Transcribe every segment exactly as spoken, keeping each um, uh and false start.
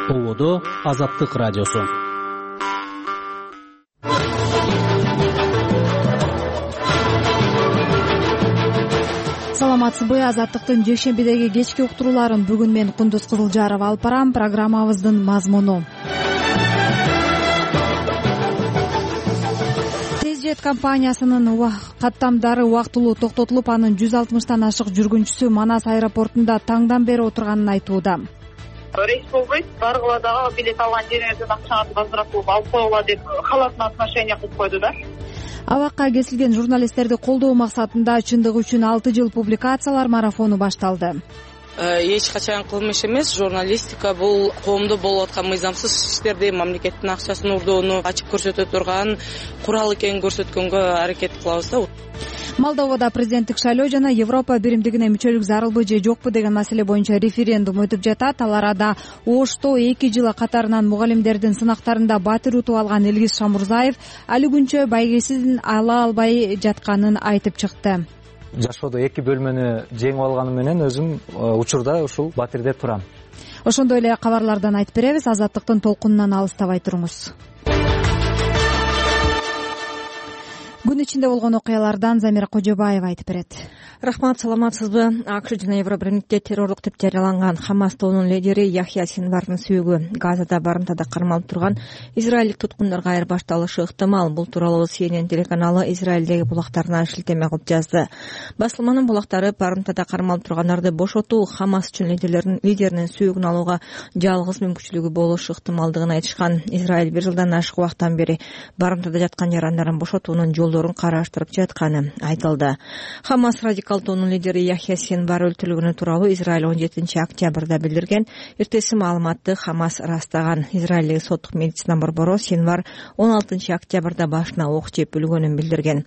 Ободо Азаттык радиосу. Саламатсызбы? Азаттыктын жекшембидеги кечки уктурууларын бүгүн мен Кундуз Кызылжарова алып барам. Программабыздын мазмуну: Тезжет компаниясынын каттамдары убактылуу токтотулуп, анын жүз алтымыштан ашык жүргүнчүсү Манас аэропортунда таңдан бери отурганын айтууда. Рейс болбойт, баргыла дагы билет алган жериңерден акчаңарды азыраак кылып алып койгула деп халатына отношение кылып койду да. Абакка кесилген журналисттерди колдоо максатында чындык үчүн алты жыл публикациялар марафону башталды. Эч качан кылмыш эмес. Журналистика бул коомдо болуп аткан мыйзамсыз иштерди, мамлекеттин акчасын урдоону ачык көрсөтө турган курал экенин көрсөткөнгө аракет кылабыз да. Молдовада президенттик шайлоо жана Европа биримдигине мүчөлүк зарылбы же жокпу деген маселе боюнча референдум өтүп жатат. Ал арада Ошто эки жыл катарынан мугалимдердин сынактарында батир утуп алган Элгиз Шамурзаев али күнчө байгесин ала албай жатканын айтып чыкты. Жашоодо эки бөлмөнү жеңип алганым менен өзүм учурда ушул батирде турам. Ошондой эле кабарлардан айтып беребиз. Азаттыктын толкунунан алыстабай туруңуз. Күн ичинде болгон окуялардан Замира Кожобаева айтып берет. Рахмат, саламатсызбы? АКШ жана Евробиримдикте террорлук деп жарыяланган Хамас тобунун лидери Яхья Синвардын сүйөгү Газада барымтада кармалып турган израилдик туткундарга айырбашталышы ыктымал. Бул тууралуу Си Эн Эн телеканалы Израилдеги булактарына шилтеме кылып жазды. Басылманын булактары барымтада кармалып тургандарды бошотуу Хамас үчүн лидерлеринин лидеринин сүйөгүн алууга жалгыз мүмкүнчүлүгү болушу ыктымалдыгын айтышкан. Израиль бир жылдан ашык убакыттан бери барымтада жаткан жарандарын бошотуунун жолдорун караштырып жатканы айтылды. Хамас радикал тобунун лидери Яхья Синвар өлтүрүлгөнү тууралуу Израиль он жетинчи октябрда билдирген. Эртеси маалыматты Хамас ырастаган. Израилдеги соттук медицина борбору Синвар он алтынчы октябрда башына ок жеп өлгөнүн билдирген.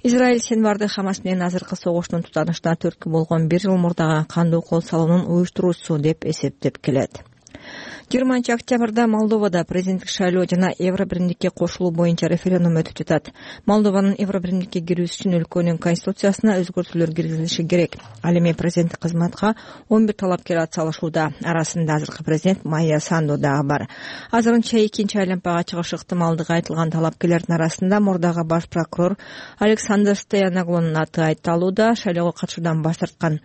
Израиль Синварды Хамас менен азыркы согуштун тутанышына түрткү болгон бир жыл мурдагы кандуу кол салуунун уюштуруучусу деп эсептеп келет. жыйырманчы октябрда Молдовада президенттик шайлоо жана Евробиримдикке кошулуу боюнча референдум өтүп жатат. Молдованын Евробиримдикке кирүүсү үчүн өлкөнүн конституциясына өзгөртүүлөр киргизилиши керек. Ал эми президенттик кызматка он бир талапкер ат салышууда. Арасында азыркы президент Майя Санду дагы бар. Азырынча экинчи айлампага чыгыш ыктымалдыгы айтылган талапкерлердин арасында мурдагы баш прокурор Александр Стояноглунун аты айтылууда. Шайлоого катышуудан баш тарткан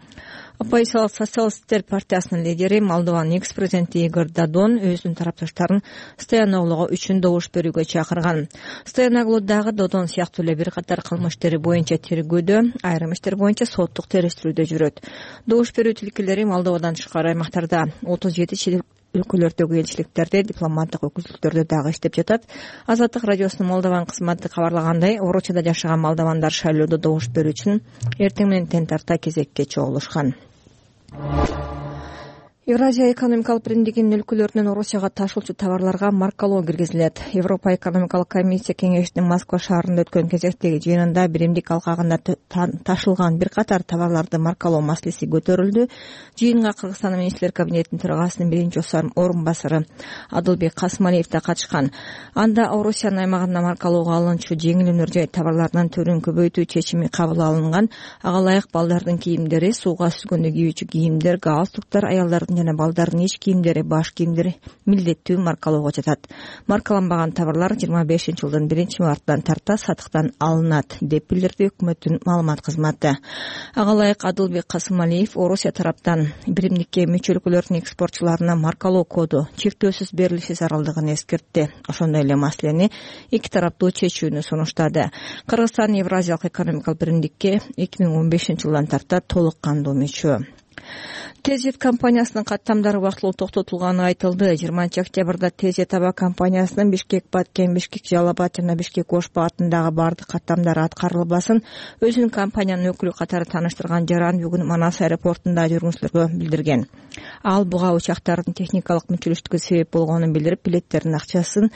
Оппозициялык социалисттер партиясынын лидери Молдованын экс-президенти Игорь Додон өзүнүн тарапташтарын Стояноглуга үчүн добуш берүүгө чакырган. Стояноглу дагы Додон сыяктуу эле бир катар кылмыш иштери боюнча тергөөдө, айрым иштер боюнча соттук териштирүүдө жүрөт. Добуш берүү тилкелери Молдовадан тышкары аймактарда отуз жети чет өлкөлөрдөгү элчиликтерде, дипломаттык өкүлдүктөрдө дагы иштеп жатат. Азаттык радиосунун Молдован кызматы кабарлагандай, Орочада жашаган молдовандар шайлоодо добуш берүү үчүн эртең менен тең тарта кезекке чогулушкан. Евразия экономикалык биримдигинин өлкөлөрүнөн Орусияга ташуучу товарларга маркалоо киргизилет. Европа экономикалык комиссия кеңешинин Москва шаарында өткөн кезектеги жыйынында биримдик алкагында ташылган бир катар товарларды маркалоо маселеси көтөрүлдү. Жыйынга Кыргызстан министрлер кабинетинин төрагасынын биринчи орун басары Адылбек Касымалиев да катышкан. Анда Орусиянын аймагында маркалоого алынчу жеңил өнөр жай товарларынын түрүн көбөйтүү чечими кабыл алынган. Ага ылайык балдардын кийимдери, сууга сүзгөндө кийүүчү кийимдер, галстуктар, аялдардын жана балдардын ич кийимдери, баш кийимдери милдеттүү маркалоого жатат. Маркаланбаган товарлар жыйырма бешинчи жылдын биринчи мартынан тарта сатыктан алынат, деп билдирди өкмөттүн маалымат кызматы. Ага ылайык Адылбек Касымалиев Орусия тараптан биримдикке мүчө өлкөлөрдүн экспортчуларына маркалоо коду чектөөсүз берилиши зарылдыгын эскертти. Ошондой эле маселени эки тараптуу чечүүнү сунуштады. Кыргызстан Евразиялык экономикалык биримдикке эки миң он бешинчи жылдан тарта толук кандуу мүчө. Тезжет компаниясынын каттамдары убактылуу токтотулганы айтылды. жыйырманчы октябрда Тезжет аба компаниясынын Бишкек Баткен, Бишкек Жалал-Абад жана Бишкек Ош багытындагы бардык каттамдары аткарылбасын өзүнүн компаниянын өкүлү катары тааныштырган жаран бүгүн Манас аэропортунда жүргүнчүлөргө билдирген. Ал буга учактардын техникалык мүчөлүштүгү себеп болгонун билдирип, билеттердин акчасын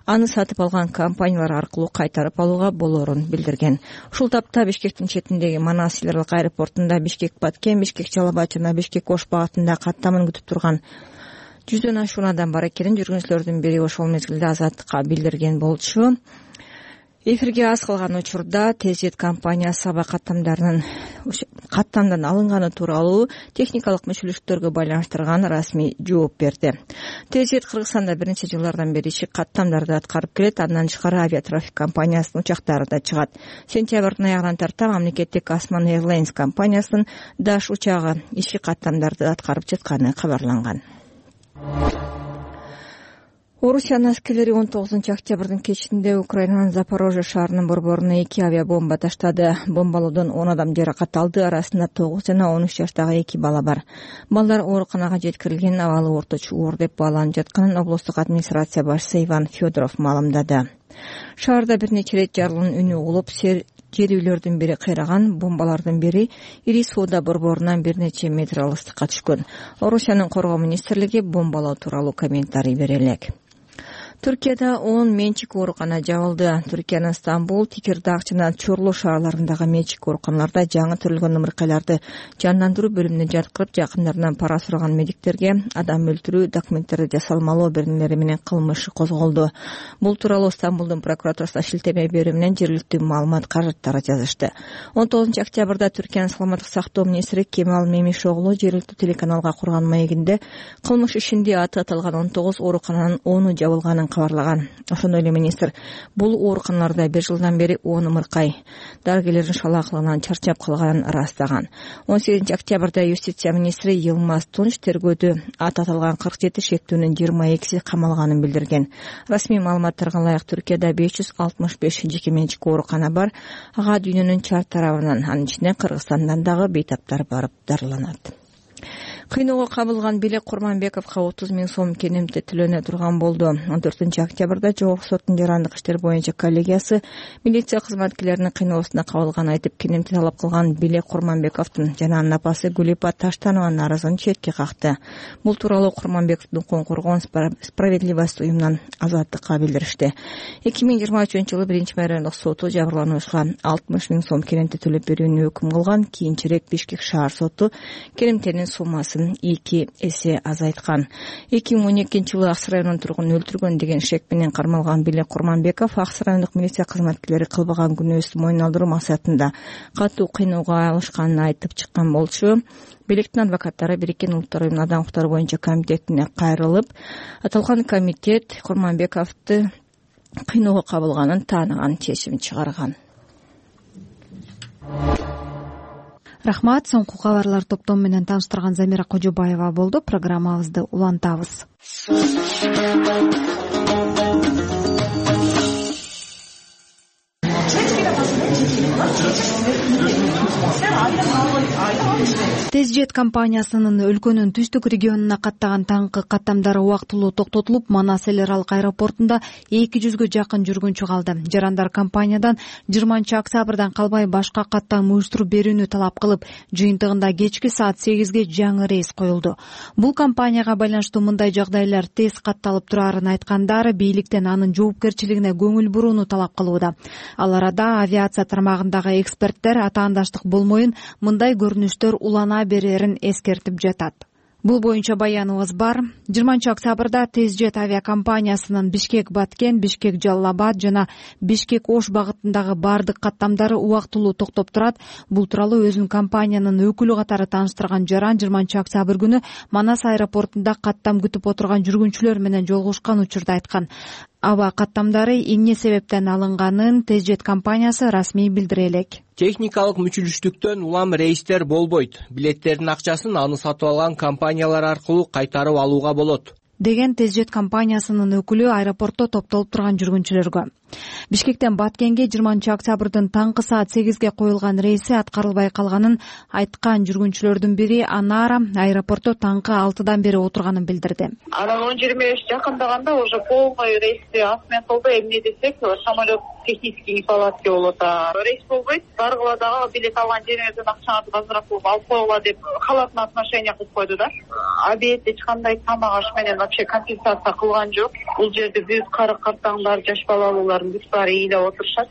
аны сатып алган компаниялар аркылуу кайтарып алууга болоорун билдирген. Ушул тапта Бишкектин четиндеги Манас эл аэропортунда Бишкек Баткен, Бишкек Жалал-Абад жана Бишкек Ош багытында каттамын күтүп турган жүздөн ашуун адам бар экенин жүргүнчүлөрдүн бири ошол мезгилде Азаттыкка билдирген болчу. Эфирге аз калган учурда Тезжет компаниясы аба каттамдарынын каттамдан алынганы тууралуу техникалык мүчөлүктөргө байланыштырган расмий жооп берди. Тезжет Кыргызстанда бир нече жылдардан бери ишик каттамдарды аткарып келет, андан тышкары авиатрафик компаниясынын учактары да чыгат. Сентябрдын аягынан тарта мамлекеттик Осман Airlines компаниясынын Даш учагы ишик каттамдарды аткарып жатканы кабарланган. Орусиянын аскерлери он тогузунчу октябрдын кечинде Украинанын Запорожье шаарынын борборуна эки авиабомба таштады. Бомбалоодон он адам жаракат алды, арасында тогуз жана он үч жаштагы эки бала бар. Балдар ооруканага жеткирилген, абалы орточу оор деп бааланып жатканын облустук администрация башчысы Иван Федоров маалымдады. Шаарда бир нече рет жарылуунун үнү угулуп, жер үйлөрдүн бири кыйраган, бомбалардын бири Ири соода борборунан бир нече метр алыстыкка түшкөн. Орусиянын коргоо министрлиги бомбалоо тууралуу комментарий бере элек. Түркияда он менчик оорукана жабылды. Түркиянын Стамбул, Текирдак жана Чорлу шаарларындагы менчик ооруканаларда жаңы төрөлгөн ымыркайларды жандандыруу бөлүмүнө жаткырып, жакындарынан пара сураган медиктерге адам өлтүрүү, документтерди жасалмалоо беренелери менен кылмыш козголду. Бул тууралуу Стамбулдун прокуратурасына шилтеме берүү менен жергиликтүү маалымат каражаттары жазышты. он тогузунчу октябрда Түркиянын саламаттык сактоо министри Кемал Мемишоглу жергиликтүү телеканалга курган маегинде кылмыш ишинде аты аталган он тогуз оорукананын ону жабылганын кабарлаган. Ошондой эле министр бул ооруканаларда бир жылдан бери он ымыркай дарыгерлердин шалаакылыгынан чарчап калганын ырастаган. он сегизинчи октябрда юстиция министри Йылмаз Тунч тергөөдө аты аталган кырк жети шектүүнүн жыйырма экиси камалганын билдирген. Расмий маалыматтарга ылайык Түркияда беш жүз алтымыш беш жеке менчик оорукана бар. Ага дүйнөнүн чар тарабынан, анын ичинде Кыргызстандан дагы бейтаптар барып дарыланат. Кыйноого кабылган Белек Курманбековго отуз миң сом кенемте төлөнө турган болду. он төртүнчү октябрда Жогорку соттун жарандык иштер боюнча коллегиясы милиция кызматкерлеринин кыйноосуна кабылганын айтып, кенемте талап кылган Белек Курманбековдун жана анын апасы Гүлипа Таштанованын арызын четке какты. Бул тууралуу Курманбековдун укугун коргоон Справедливость уюмунан азаттыкка билдиришти. эки миң жыйырма үчүнчү жылы биринчи райондук соту жабырлануучуга алтымыш миң сом кенемте төлөп берүүнү өкүм кылган. Кийинчерээк Бишкек шаар соту кенемтенин суммасын эки эсе азайткан. эки миң он экинчи жылы Аксы районунун тургунун өлтүргөн деген шек менен кармалган Белек Курманбеков Аксы райондук милиция кызматкерлери кылбаган күнөөсүн мойнуна алдыруу максатында катуу кыйноого алышканын айтып чыккан болчу. Белектин адвокаттары Бириккен Улуттар уюмунун адам укуктары боюнча комитетине кайрылып, аталган комитет Курманбековду кыйноого кабылганын тааныган чечим чыгарган. Рахмат, соңку кабарлар топтому менен тааныштырган Замира Кожобаева болду. Программабызды улантабыз. Тезжет компаниясынын өлкөнүн түштүк регионуна каттаган таңкы каттамдары убактылуу токтотулуп, Манас эл аралык аэропортунда эки жүзгө жакын жүргүнчү калды. Жарандар компаниядан жыйырманчы октябрдан калбай башка каттам уюштуруп берүүнү талап кылып, жыйынтыгында кечки саат сегизге жаңы рейс коюлду. Бул компанияга байланыштуу мындай жагдайлар тез катталып турарын айткандар бийликтен анын жоопкерчилигине көңүл бурууну талап кылууда. Ал арада авиация тармагындагы эксперттер атаандаштык болмоюн, мындай көрүнүштөр улана берерин эскертип жатат. Бул боюнча баяныбыз бар. жыйырманчы октябрда Тезжет авиакомпаниясынын Бишкек Баткен, Бишкек Жалал-Абад жана Бишкек Ош багытындагы бардык каттамдары убактылуу токтоп турат. Бул тууралуу өзүнүн компаниянын өкүлү катары тааныштырган Жаран жыйырманчы октябрь күнү Манас аэропортунда каттам күтүп отурган жүргүнчүлөр менен жолугушкан учурда айткан. Аба каттамдары эмне себептен алынганын Тезжет компаниясы расмий билдире элек. Техникалык мүчүлүштүктөн улам рейстер болбойт. Билеттердин акчасын аны сатып алган компаниялар аркылуу кайтарып алууга болот, деген Тезжет компаниясынын өкүлү аэропортто топтолуп турган жүргүнчүлөргө. Бишкектен Баткенге жыйырманчы октябрдын таңкы саат сегизге коюлган рейси аткарылбай калганын айткан жүргүнчүлөрдүн бири Анара аэропортто таңкы алтыдан бери отурганын билдирди. Анан он жыйырма беш жакындаганда уже полный рейсти асмен кылды. Эмне десек, самолет технический неполадки болот. Рейс болбойт. Баргыла дагы билет алган жериңерден акчаңызды азыраак кылып алып койгула деп халатына отношение кылып койду да. Обед эч кандай тамак аш менен вообще компенсация кылган жок. Бул жерде бүт кары картаңдар, жаш балалуулар бүт баары ыйлап отурушат.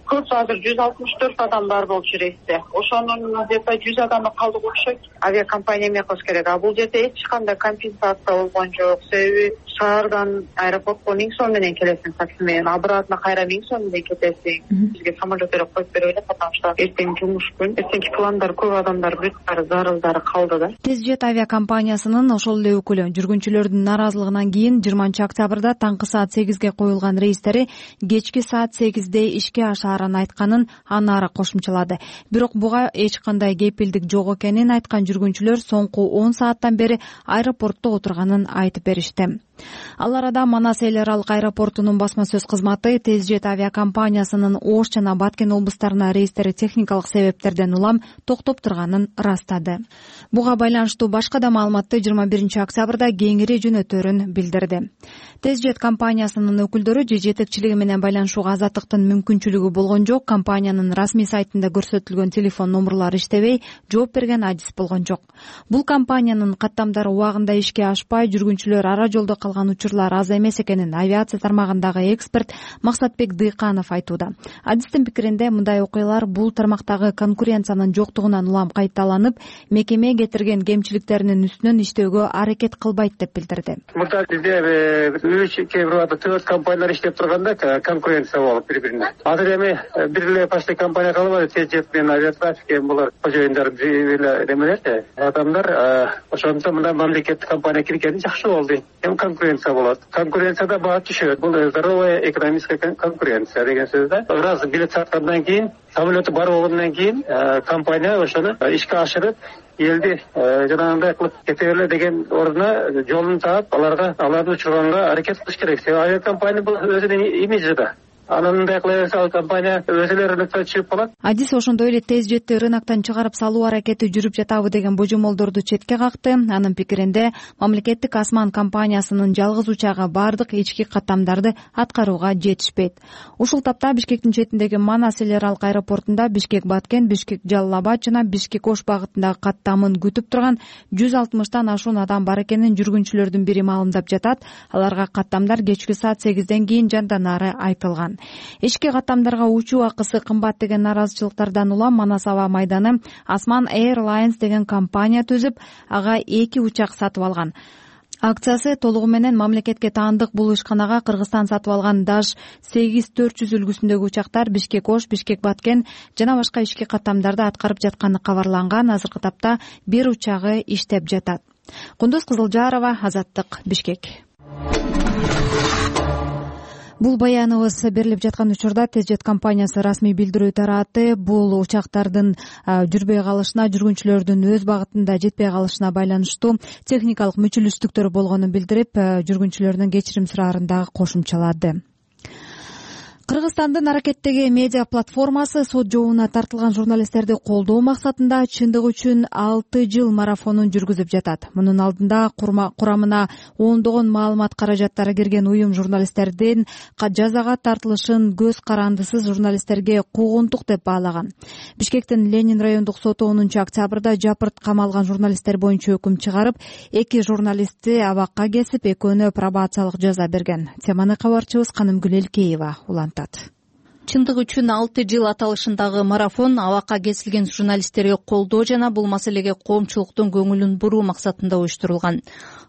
көп азыр жүз алтымыш төрт адам бар болчу рейсте. Ошонун где то жүз адамы калдык окшойт. Авиакомпания эме кылыш керек. А бул жерде эч кандай компенсация болгон жок. Себеби шаардан аэропортко миң сом менен келесиң такси менен, обратно кайра миң сом менен кетесиң. Бизге самолет берип коюп берип эле, потому что эртең жумуш күн. Эртеңки пландар көп адамдар бүт баары зарылдары калды да. Тезжет авиакомпаниясынын ошол эле өкүлү жүргүнчүлөрдүн наразылыгынан кийин жыйырманчы октябрда таңкы саат сегизге коюлган рейстери кечки саат сегизде ишке ашаарын айтканын аны ары кошумчалады. Бирок буга эч кандай кепилдик жок экенин айткан жүргүнчүлөр соңку он сааттан бери аэропортто отурганын айтып беришти. Ал арада Манас эл аралык аэропортунун басма сөз кызматы Тезжет авиакомпаниясынын Ош жана Баткен облустарына рейстери техникалык себептерден улам токтоп турганын ырастады. Буга байланыштуу башка да маалыматты жыйырма биринчи октябрда кеңири жөнөтөрүн билдирди. Тезжет компаниясынын өкүлдөрү же жетекчилиги менен байланышууга азаттыктын мүмкүнчүлүгү болгон жок. Компаниянын расмий сайтында көрсөтүлгөн телефон номерлары иштебей, жооп берген адис болгон жок. Бул компаниянын каттамдары убагында ишке ашпай, жүргүнчүлөр ара жолдо калган учурлар аз эмес экенин авиация тармагындагы эксперт Максатбек Дыйканов айтууда. Адистин пикиринде мындай окуялар бул тармактагы конкуренциянын жоктугунан улам кайталанып, мекеме кетирген кемчиликтеринин үстүнөн иштөөгө аракет кылбайт деп билдирди. Мында бизде үч, кээ бир убакта төрт компаниялар иштеп турганда конкуренция болуп бири-бирине. Азыр эми бир эле почти компания калбады, Тезжет менен Авиатрафик эми булар кожоюндар эле немелерди. Адамдар ошондо мына мамлекеттик компания киргени жакшы болду. Эми конкуренция болот. Конкуренцияда баа түшөт. Бул здоровая экономическая конкуренция деген сөз да. Раз билет саткандан кийин, самолету бар болгондон кийин компания ошону ишке ашырып, элди жанагындай кылып кете берле деген ордуна жолун таап, аларга аларды учурганга аракет кылыш керек. Себеби авиакомпания бул өзүнүн имиджи да. Анан мындай кылса компания өзүлөрү рынокко чыгып калат. Адис ошондой эле Тезжетти рыноктон чыгарып салуу аракети жүрүп жатабы деген божомолдорду четке какты. Анын пикиринде мамлекеттик асман компаниясынын жалгыз учагы бардык ички каттамдарды аткарууга жетишпейт. Ушул тапта Бишкектин четиндеги Манас эл аралык аэропортунда Бишкек-Баткен, Бишкек-Жалал-Абад жана Бишкек-Ош багытындагы каттамын күтүп турган жүз алтымыштан ашуун адам бар экенин жүргүнчүлөрдүн бири маалымдап жатат. Аларга каттамдар кечки саат сегизден кийин жандан ары айтылган. Ички каттамдарга учуу акысы кымбат деген наразычылыктардан улам Манас аба майданы Асман Airlines деген компания түзүп, ага эки учак сатып алган. Акциясы толугу менен мамлекетке таандык бул ишканага Кыргызстан сатып алган Даш сегиз төрт жүз үлгүсүндөгү учактар Бишкек-Ош, Бишкек-Баткен жана башка ички каттамдарды аткарып жатканы кабарланган. Азыркы тапта бир учагы иштеп жатат. Кундуз Кызылжарова, Азаттык, Бишкек. Бул баяныбыз берилип жаткан учурда Тезжет компаниясы расмий билдирүү тараты бул учактардын жүрбөй калышына, жүргүнчүлөрдүн өз багытында жетпей калышына байланыштуу техникалык мүчүлүштүктөр болгонун билдирип, жүргүнчүлөрдүн кечирим сураарын дагы кошумчалады. Кыргызстандын аракеттеги медиа платформасы сот жообуна тартылган журналисттерди колдоо максатында чындык үчүн алты жыл марафонун жүргүзүп жатат. Мунун алдында курамына ондогон маалымат каражаттары кирген уюм журналисттердин жазага тартылышын көз карандысыз журналисттерге куугунтук деп баалаган. Бишкектин Ленин райондук соту онунчу октябрда жапырт камалган журналисттер боюнча өкүм чыгарып, эки журналистти абакка кесип, экөөнө пробациялык жаза берген. Теманы кабарчыбыз Канымгүл Элкеева улантат. Чындык үчүн алты жыл аталышындагы марафон абакка кесилген журналисттерге колдоо жана бул маселеге коомчулуктун көңүлүн буруу максатында уюштурулган.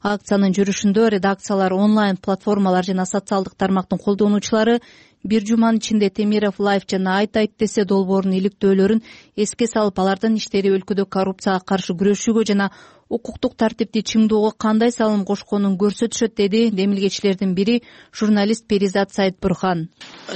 Акциянын жүрүшүндө редакциялар, онлайн платформалар жана социалдык тармактын колдонуучулары бир жуманын ичинде Темиров Лайф жана Айт Айт десе долбоорунун иликтөөлөрүн эске салып, алардын иштери өлкөдө коррупцияга каршы күрөшүүгө жана укуктук тартипти чыңдоого кандай салым кошконун көрсөтүшөт, деди демилгечилердин бири журналист Перизат Сайтбурхан.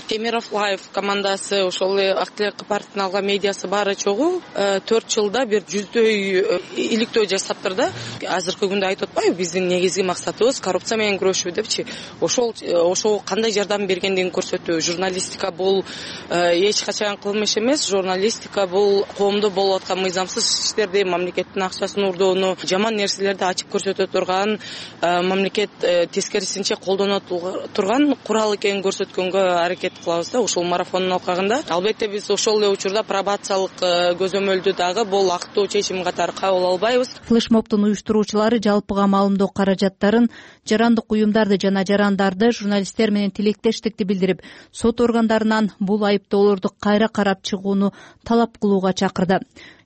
Темиров Лайф командасы ошол эле Актылек партиянын алган медиасы баары чогуу төрт жылда бир жүздөй иликтөө жасаптыр да. Азыркы күндө айтып атпайбы, биздин негизги максатыбыз коррупция менен күрөшүү депчи. Ошол ошого кандай жардам бергендигин көрсөтүү. Журналистика бул эч качан кылмыш эмес. Журналистика бул коомдо болуп аткан мыйзамсыз иштерди, мамлекеттин акчасын урдоону жаман нерселерди ачып көрсөтө турган, мамлекет тескерисинче колдоно турган курал экенин көрсөткөнгө аракет кылабыз да ушул марафондун алкагында. Албетте биз ошол эле учурда пробациялык көзөмөлдү дагы бул актуу чечим катары кабыл албайбыз. Флешмобдун уюштуруучулары жалпыга маалымдоо каражаттарын, жарандык уюмдарды жана жарандарды, журналисттер менен тилектештикти билдирип, сот органдарынан бул айыптоолорду кайра карап чыгууну талап кылууга чакырды.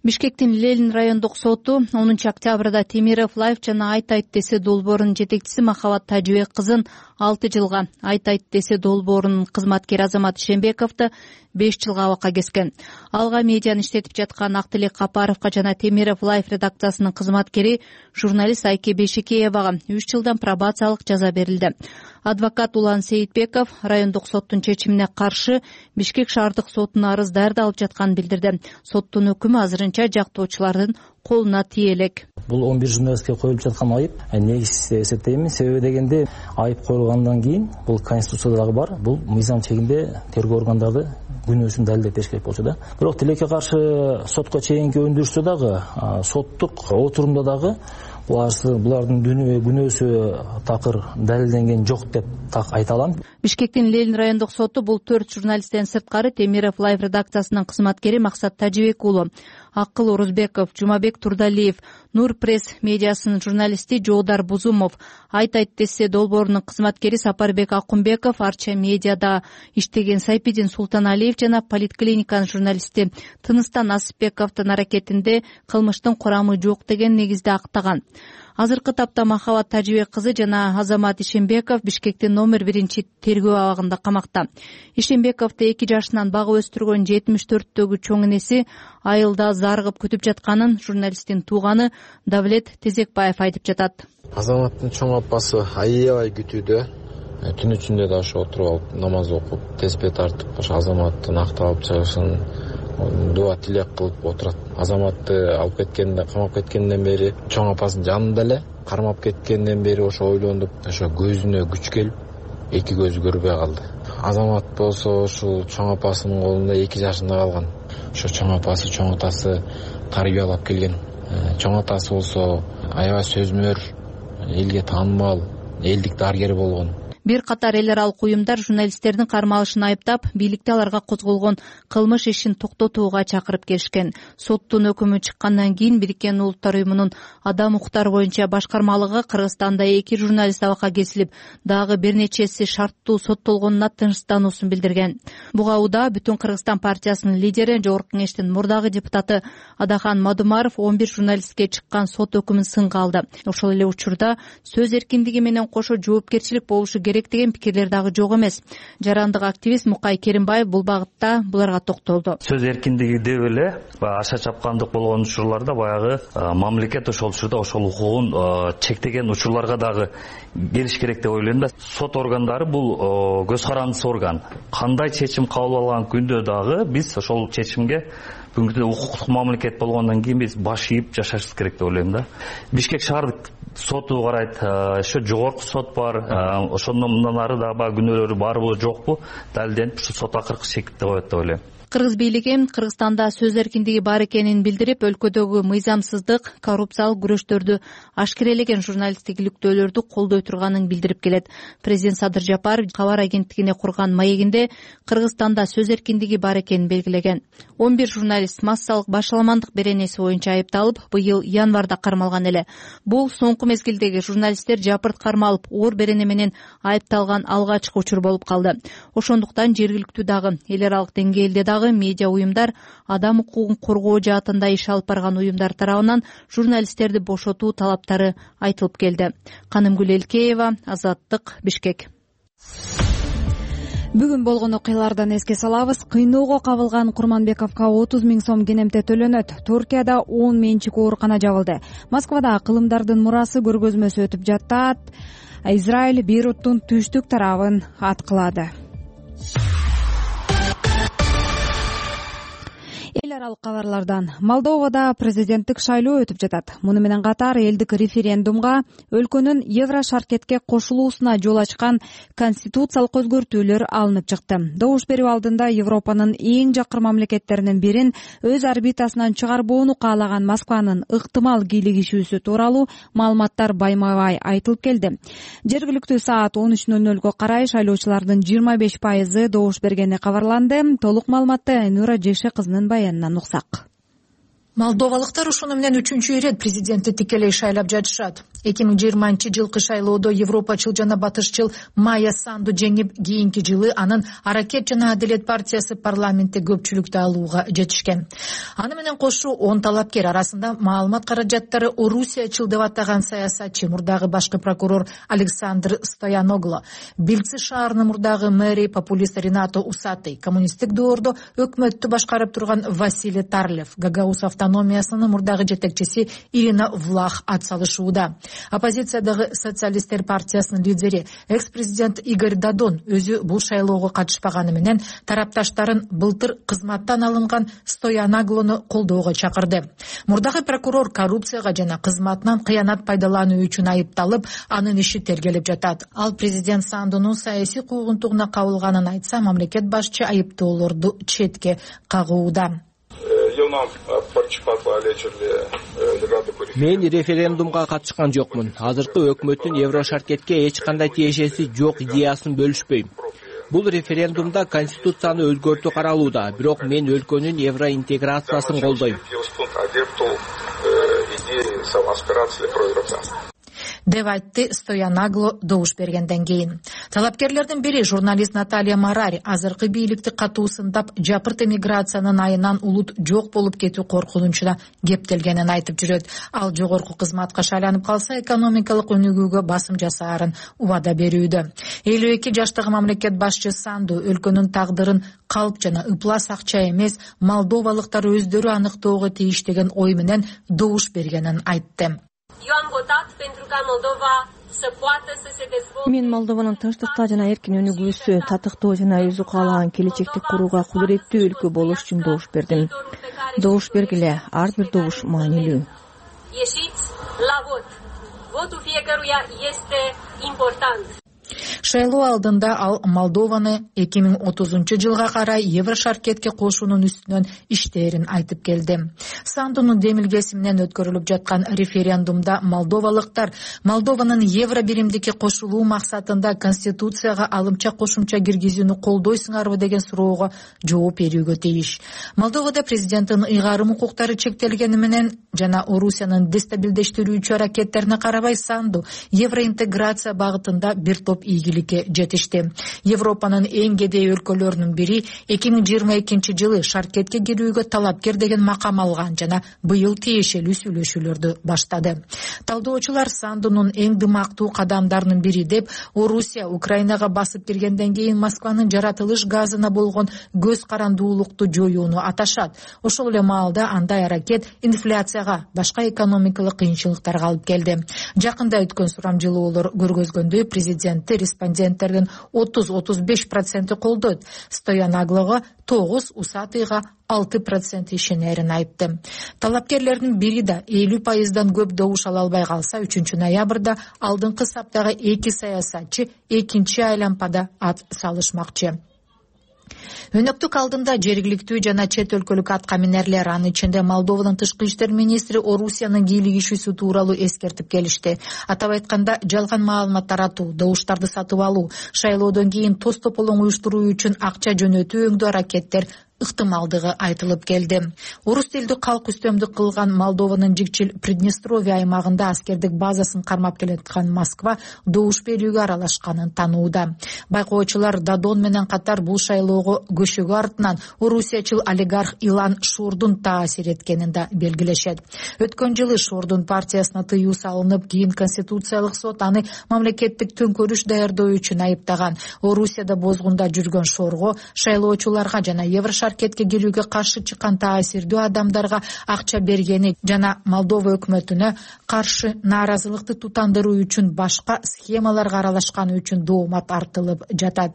Бишкектин Ленин райондук соту онунчу октябрда Темиров Лайф жана Айт Айт десе долбоорунун жетекчиси Махабат Тажыбек кызын алты жылга, Айт Айт десе долбоорунун кызматкери Азамат Ишенбековду беш жылга абакка кескен. Алга медианы иштетип жаткан Актилек Капаровго жана Темиров Лайф редакциясынын кызматкери журналист Айке Бешикеевага үч жылдан пробациялык жаза берилди. Адвокат Улан Сейитбеков райондук соттун чечимине каршы Бишкек шаардык сотуна арыз даярдалып жатканын билдирди. Соттун өкүмү азырынча жактоочулардын колуна тие элек. Бул он бир журналистке коюлуп жаткан айып негиз эсептейм. Себеби дегенде айып коюлгандан кийин бул конституцияда дагы бар. Бул мыйзам чегинде тергөө органдары күнөөсүн далилдеп бериш керек болчу да. Бирок тилекке каршы сотко чейинки өндүрүштө дагы, соттук отурумда дагы булардын күнөөсү такыр далилденген жок деп так айта алам. Бишкектин Ленин райондук соту бул төрт журналисттен сырткары Темиров Лайф редакциясынын кызматкери Максат Тажыбек уулу, Акыл Орузбеков, Жумабек Турдалиев, Нур пресс медиасынын журналисти Жоодар Бузумов, Айт Айт десе долбоорунун кызматкери Сапарбек Акунбеков, Арча медиада иштеген Сайпидин Султаналиев жана Политклиниканын журналисти Тыныстан Асыпбековдун аракетинде кылмыштын курамы жок деген негизде актаган. Азыркы тапта Махабат Тажыбек кызы жана Азамат Ишенбеков Бишкектин номер биринчи тергөө абагында камакта. Ишенбековду эки жашынан багып өстүргөн жетимиш төрттөгү чоң энеси айылда зарыгып күтүп жатканын журналисттин тууганы Давлет Тезекбаев айтып жатат. Азаматтын чоң апасы аябай күтүүдө. Түн ичинде да ошо отуруп алып намаз окуп, теспе тартып, ошо Азаматтын акталып чыгышын дуа тилек кылып отурат. Азаматты алып кеткенде, камап кеткенден бери чоң апасынын жанында эле, кармап кеткенден бери ошо ойлонуп, ошо көзүнө күч келип, эки көзү көрбөй калды. Азамат болсо ушул чоң апасынын колунда эки жашында калган. Ошо чоң апасы, чоң атасы тарбиялап келген. Чоң атасы болсо аябай сөзмөр, элге таанымал, элдик дарыгер болгон. Бир катар эл аралык уюмдар журналисттердин кармалышын айыптап, бийликте аларга козголгон кылмыш ишин токтотууга чакырып келишкен. Соттун өкүмү чыккандан кийин Бириккен Улуттар уюмунун адам укуктары боюнча башкармалыгы Кыргызстанда эки журналист абакка кесилип, дагы бир нечеси шарттуу соттолгонуна тынчтануусун билдирген. Буга Уда Бүтүн Кыргызстан партиясынын лидери, Жогорку Кеңештин мурдагы депутаты Адакан Мадумаров он бир журналистке чыккан сот өкүмүн сынга алды. Ошол эле учурда сөз эркиндиги менен кошо жоопкерчилик болушу керек деген пикирлер дагы жок эмес. Жарандык активист Мукай Керимбаев бул багытта буларга токтолду. Сөз эркиндиги деп эле аша чапкандык болгон учурларда баягы мамлекет ошол учурда ошол укугун чектеген учурларга дагы келиш керек деп ойлойм да. Сот органдары бул көз карандысы орган. Кандай чечим кабыл алган күндө дагы биз ошол чечимге бүгүнкү укуктук мамлекет болгондон кийин биз баш ийип жашашыбыз керек деп ойлойм да. Бишкек шаардык соту карайт, ошо жогорку сот бар, ошондон мындан ары да бар күнөөлөрү барбы жокпу далилденип ушу сот акыркы чекитте коет деп ойлойм. Кыргыз бийлиги Кыргызстанда сөз эркиндиги бар экенин билдирип, өлкөдөгү мыйзамсыздык, коррупциялык күрөштөрдү ашкерелеген журналисттик иликтөөлөрдү колдой турганын билдирип келет. Президент Садыр Жапаров кабар агенттигине курган маегинде Кыргызстанда сөз эркиндиги бар экенин белгилеген. он бир журналист массалык башаламандык беренеси боюнча айыпталып, быйыл январда кармалган эле. Бул соңку мезгилдеги журналисттер жапырт кармалып, оор берене менен айыпталган алгачкы учур болуп калды. Ошондуктан жергиликтүү дагы, эл аралык деңгээлде дагы медиа уюмдар, адам укугун коргоо жаатында иш алып барган уюмдар тарабынан журналисттерди бошотуу талаптары айтылып келди. Канымгүл Элкеева, Азаттык, Бишкек. Бүгүн болгон окуялардан эске салабыз. Кыйноого кабылган Курманбековго отуз миң сом кенемте төлөнөт. Туркияда он менчик оорукана жабылды. Москвада кылымдардын мурасы көргөзмөсү өтүп жатат. Израиль Бейруттун түштүк тарабын аткылады. Эл эл аралык кабарлардан Молдовада президенттик шайлоо өтүп жатат. Муну менен катар элдик референдумга өлкөнүн Евро шаркетке кошулуусуна жол ачкан конституциялык өзгөртүүлөр алынып чыкты. Добуш берүү алдында Европанын эң жакыр мамлекеттеринин бирин өз орбитасынан чыгарбоону каалаган Москванын ыктымал кийлигишүүсү тууралуу маалыматтар байма-бай айтылып келди. Жергиликтүү саат он үч ноль нолго карай шайлоочулардын жыйырма беш пайызы добуш бергени кабарланды. Толук маалыматты Нура Жекше кызынын баянынан уксак. Молдовалыктар ушуну менен үчүнчү ирет президентти тикелей шайлап жатышат. эки миң жыйырманчы жылкы шайлоодо европачыл жана батышчыл Майя Санду жеңип, кийинки жылы анын Аракет жана Адилет партиясы парламентте көпчүлүктү алууга жетишкен. Аны менен кошо он талапкер арасында маалымат каражаттары Орусиячыл деп атаган саясатчы, мурдагы башкы прокурор Александр Стояногло, Билци шаарынын мурдагы мэри популист Ренато Усатый, коммунисттик доордо өкмөттү башкарып турган Василий Тарлев, Гагаус автономиясынын мурдагы жетекчиси Ирина Влах атсалышууда. Оппозициядагы социалисттер партиясынын лидери экс-президент Игорь Дадон өзү бул шайлоого катышпаганы менен тарапташтарын былтыр кызматтан алынган Стояноглону колдоого чакырды. Мурдагы прокурор коррупцияга жана кызматынан кыянат пайдалануу үчүн айыпталып, анын иши тергелип жатат. Ал президент Сандунун саясий куугунтугуна кабылганын айтса, мамлекет башчы айыптоолорду четке кагууда. Мен референдумга катышкан жокмун. Азыркы өкмөттүн Евро шаркетке эч кандай тиешеси жок идеясын бөлүшпөйм. Бул референдумда конституцияны өзгөртүү каралууда, бирок мен өлкөнүн евро интеграциясын колдойм. деп айтты Стояногло добуш бергенден кийин. Талапкерлердин бири журналист Наталья Марари азыркы бийликти катуу сындап, жапырт эмиграциянын айынан улут жок болуп кетүү коркунучуна кептелгенин айтып жүрөт. Ал жогорку кызматка шайланып калса, экономикалык өнүгүүгө басым жасаарын убада берүүдө. элүү эки жаштагы мамлекет башчы Санду өлкөнүн тагдырын калп жана ыплас акча эмес, молдовалыктар өздөрү аныктоого тийиш деген ой менен добуш бергенин айтты. Мен Молдованын тынчтыкта жана эркин өнүгүүсү, татыктоо жана өзү каалаган келечекти курууга кудуреттүү өлкө болуш үчүн добуш бердим. Добуш бергиле, ар бир добуш маанилүү. Шайлоо алдында ал Молдованы эки миң отузунчу жылга карай Евро шаркетке кошуунун үстүнөн иштээрин айтып келди. Сандунун демилгеси менен өткөрүлүп жаткан референдумда молдовалыктар Молдованын Евро биримдикке кошулуу максатында конституцияга алымча кошумча киргизүүнү колдойсуңарбы деген суроого жооп берүүгө тийиш. Молдовада президенттин ыйгарым укуктары чектелгени менен жана Орусиянын дестабилдештирүүчү аракеттерине карабай, Санду евроинтеграция багытында бир топ ийгиликке жетишти. Европанын эң кедей өлкөлөрүнүн бири эки миң жыйырма экинчи жылы шаркетке кирүүгө талапкер деген макам алган жана быйыл тиешелүү сүйлөшүүлөрдү баштады. Талдоочулар Сандунун эң дымактуу кадамдарынын бири деп Орусия Украинага басып киргенден кийин Москванын жаратылыш газына болгон көз карандуулукту жоюуну аташат. Ошол эле маалда андай аракет инфляцияга, башка экономикалык кыйынчылыктарга алып келди. Жакында өткөн сурамжылоолор көргөзгөндөй, президент респонденттердин отуз отуз беш проценти колдойт. Стояноглого тогуз, Усатыйга алты процент ишенерин айтты. Талапкерлердин бири да элүү пайыздан көп добуш ала албай калса, үчүнчү ноябрда алдыңкы саптагы эки саясатчы экинчи айлампада ат салышмакчы. Өнөктүк алдында жергиликтүү жана чет өлкөлүк аткаминерлер, анын ичинде Молдованын тышкы иштер министри Орусиянын кийлигишүүсү тууралуу эскертип келишти. Атап айтканда, жалган маалымат таратуу, добуштарды сатып алуу, шайлоодон кийин тоз тополоң уюштуруу үчүн акча жөнөтүү өңдүү аракеттер ыктымалдыгы айтылып келди. Орус тилдүү калк үстөмдүк кылган Молдованын жикчил Приднестровье аймагында аскердик базасын кармап келаткан Москва добуш берүүгө аралашканын танууда. Байкоочулар Дадон менен катар бул шайлоого көчөгү артынан Орусиячыл олигарх Илан Шордун таасир эткенин да белгилешет. Өткөн жылы Шордун партиясына тыюу салынып, кийин Конституциялык сот аны мамлекеттик төңкөрүш даярдоо үчүн айыптаган. Орусияда бозгунда жүргөн Шорго шайлоочуларга жана Евро Еврошаркетке келүүгө каршы чыккан таасирдүү адамдарга акча бергени жана Молдова өкмөтүнө каршы нааразылыкты тутандыруу үчүн башка схемаларга аралашканы үчүн доомат артылып жатат.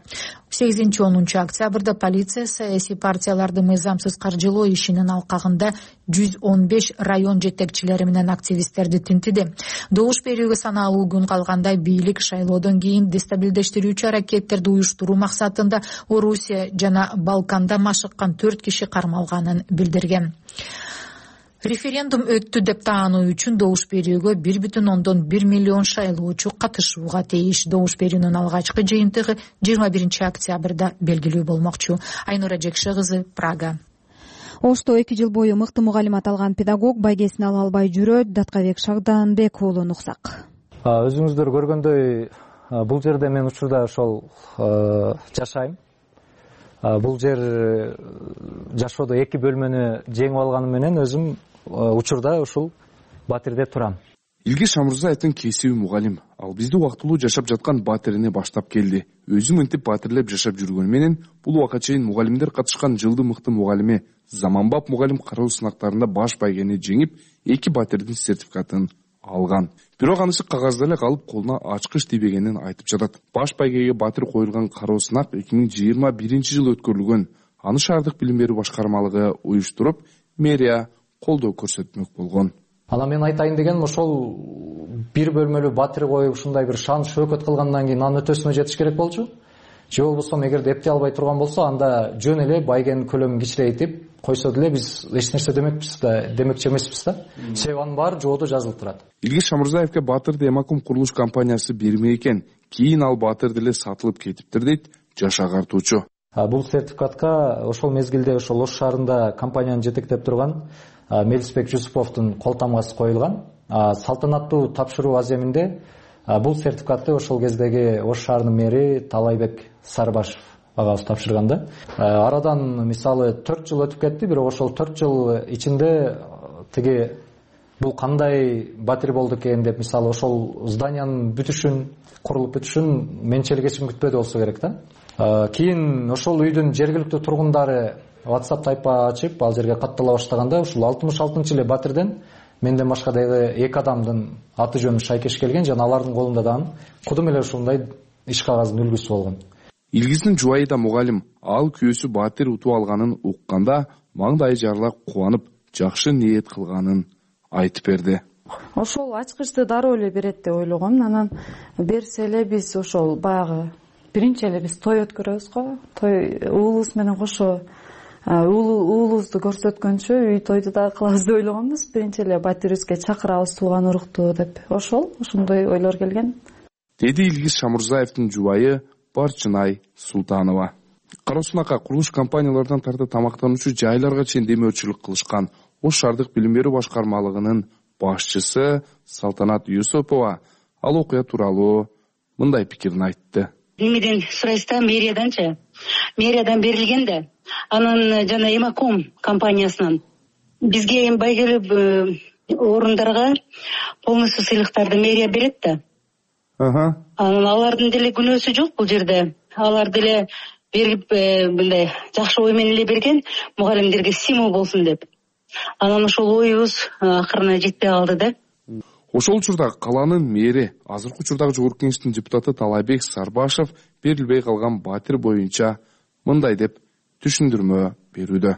сегизинчи онунчу октябрда полиция саясий партияларды мыйзамсыз каржылоо ишинин алкагында жүз он беш район жетекчилери менен активисттерди тинтиди. Добуш берүүгө санаалуу күн калганда бийлик шайлоодон кийин дестабилдештирүүчү аракеттерди уюштуруу максатында Орусия жана Балканда машыккан төрт киши кармалганын билдирген. Референдум өттү деп таануу үчүн добуш берүүгө бир бүтүн ондон бир миллион шайлоочу катышууга тийиш. Добуш берүүнүн алгачкы жыйынтыгы жыйырма биринчи октябрда белгилүү болмокчу. Айнура Жекше кызы, Прага. Ошто эки жыл бою мыкты мугалимат алган педагог байгесин ала албай жүрөт. Даткабек Шагданбек уулун уксак. Өзүңүздөр көргөндөй бул жерде мен учурда ошол жашайм. Бул жер жашоодо эки бөлмөнү жеңип алганым менен өзүм учурда ушул Батирде турам. Илгиз Шамурзаевдин кесиби мугалим. Ал бизди убактылуу жашап жаткан Батирине баштап келди. Өзү мынтип батирлеп жашап жүргөнү менен бул убакка чейин мугалимдер катышкан жылдын мыкты мугалими, заманбап мугалим кароо сынактарында баш байгени жеңип, эки Батирдин сертификатын алган. Бирок анысы кагазда эле калып, колуна ачкыч тийбегенин айтып жатат. Баш байгеге Батир коюлган кароо сынак эки миң жыйырма биринчи жылы өткөрүлгөн. Аны шаардык билим берүү башкармалыгы уюштуруп, мэрия колдоо көрсөтмөк болгон. Анан мен айтайын дегеним ошол бир бөлмөлүү Батир коюп ушундай бир шан шөкөт кылгандан кийин анын өтөсүнө жетиш керек болчу. Же болбосо эгерде эптей албай турган болсо, анда жөн эле байгенин көлөмүн кичирейтип койсо деле биз эч нерсе демекпиз да, демекчи эмеспиз да. Себеби анын баары жоодо жазылып турат. Илгиз Шамурзаевке Батырды Эмакум курулуш компаниясы берме экен. Кийин ал Батыр деле сатылып кетиптир дейт жаш агартуучу. Бул сертификатка ошол мезгилде ошол Ош шаарында компанияны жетектеп турган Мелисбек Жусуповдун кол тамгасы коюлган. Салтанаттуу тапшыруу аземинде бул сертификатты ошол кездеги Ош шаарынын мэри Талайбек Сарбашев агабыз тапшырган да. Арадан мисалы төрт жыл өтүп кетти, бирок ошол төрт жыл ичинде тиги бул кандай Батир болду экен деп, мисалы ошол зданиянын бүтүшүн, курулуп бүтүшүн менчелик эч ким күтпөдү болсо керек да. Кийин ошол үйдүн жергиликтүү тургундары WhatsApp тайпа ачып, ал жерге каттала баштаганда ушул алтымыш алтынчы жылы Батирден менден башка дагы эки адамдын аты жөнү шайкеш келген жана алардын колунда дагы кудум эле ушундай иш кагазынын үлгүсү болгон. Илгиздин жубайы да мугалим. Ал күйөөсү Батир утуп алганын укканда маңдайы жарыла кубанып, жакшы ниет кылганын айтып берди. Ошол ачкычты дароо эле берет деп ойлогом. Анан берсе эле биз ошол баягы биринчи эле биз той өткөрөбүз го. Той уулубуз менен кошо уулубузду көрсөткөнчө үй тойду да кылабыз деп ойлогонбуз. Биринчи эле Батирибизге чакырабыз тууган урукту деп. Ошол ошондой ойлор келген. Деди Илгиз Шамурзаевдин жубайы Барчынай Султанова. Кароо сынакка курулуш компаниялардан тарта тамактануучу жайларга чейин демөөрчүлүк кылышкан Ош шаардык билим берүү башкармалыгынын башчысы Салтанат Юсупова ал окуя тууралуу мындай пикирин айтты. Эмеден сурайсыз да, мэрияданчы? Мэриядан берилген да. Анан жана Эмакум компаниясынан бизге байгелүү орундарга полностью сыйлыктарды мэрия берет да. Ага. Анан алардын деле күнөөсү жок бул жерде. Алар деле берип мындай жакшы ой менен эле берген, мугалимдерге стимул болсун деп. Анан ошол оюбуз акырына жетпей калды да. Ошол учурда калаанын мэри, азыркы учурдагы жогорку кеңештин депутаты Талайбек Сарбашев берилбей калган Батир боюнча мындай деп түшүндүрмө берүүдө.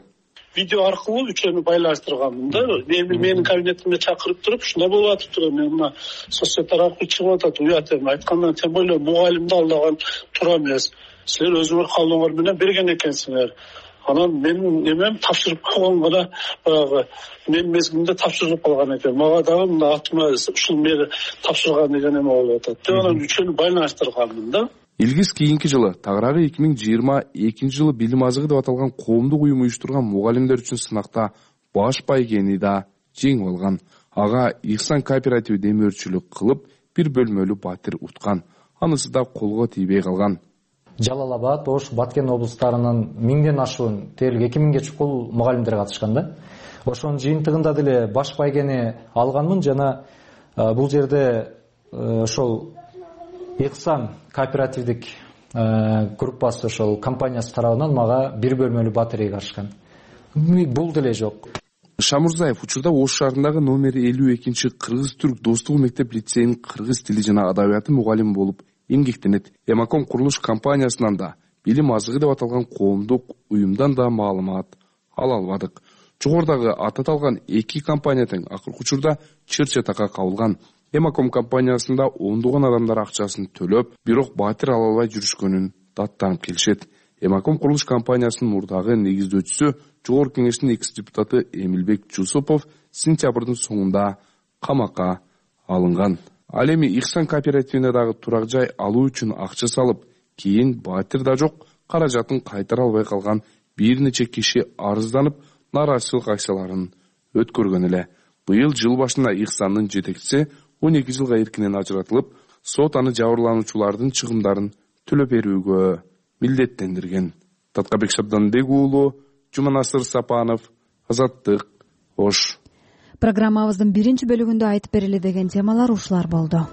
Видео аркылуу үчөөнү байлаштырганмын да. Менин кабинетиме чакырып туруп, ушундай болуп атыптыр. Мен мына соцсеттер аркылуу чыгып атат, уят эми айткандан тем более мугалимди алдаган туура эмес. Силер өзүңөр каалооңор менен берген экенсиңер. Анан менин эмем тапшырып койгон гана баягы мен мезгилинде тапшырып калган экен. Мага дагы мына атыма ушул мери тапшырган деген эме болуп атат. Деп анан үчөөнү байлаштырганмын да. Илгиз кийинки жылы тагыраагы эки миң жыйырма экинчи жылы билим азыгы деп аталган коомдук уюм уюштурган мугалимдер үчүн сынакта баш байгени да жеңип алган. Ага Ихсан кооперативи демөөрчүлүк кылып бир бөлмөлүү Батир уткан. Анысы да колго тийбей калган. Жалал Абад, Ош, Баткен облустарынын миңден ашуун дээрлик эки миңге чукул мугалимдер катышкан да. Ошонун жыйынтыгында деле баш байгени алганмын жана бул жерде ошол Ихсан кооперативдик группасы ошол компаниясы тарабынан мага бир бөлмөлүү батарея карышкан. Бул деле жок. Шамурзаев учурда Ош шаарындагы номери элүү экинчи кыргыз-түрк достугу мектеп лицейинин кыргыз тили жана адабияты мугалими болуп эмгектенет. Эмаком курулуш компаниясынан да, билим азыгы деп аталган коомдук уюмдан да маалымат ала албадык. Жогорудагы аты аталган эки компания тең акыркы учурда чыр-чатакка кабылган. Эмаком компаниясында ондогон адамдар акчасын төлөп, бирок батир ала албай жүрүшкөнүн даттанып келишет. Эмаком курулуш компаниясынын мурдагы негиздөөчүсү Жогорку кеңештин экс депутаты Эмилбек Жусупов сентябрдын соңунда камакка алынган. Ал эми Ихсан кооперативине дагы турак жай алуу үчүн акча салып, кийин батир да жок, каражатын кайтара албай калган бир нече киши арызданып, нааразычылык акцияларын өткөргөн эле. Быйыл жыл башында Ихсандын жетекчиси он эки жылга эркинен ажыратылып, сот аны жабырлануучулардын чыгымдарын төлөп берүүгө милдеттендирген. Таткабек Шабданбек уулу, Жуманасыр Сапанов, Азаттык, Ош. Программабыздын биринчи бөлүгүндө айтып берели деген темалар ушулар болду.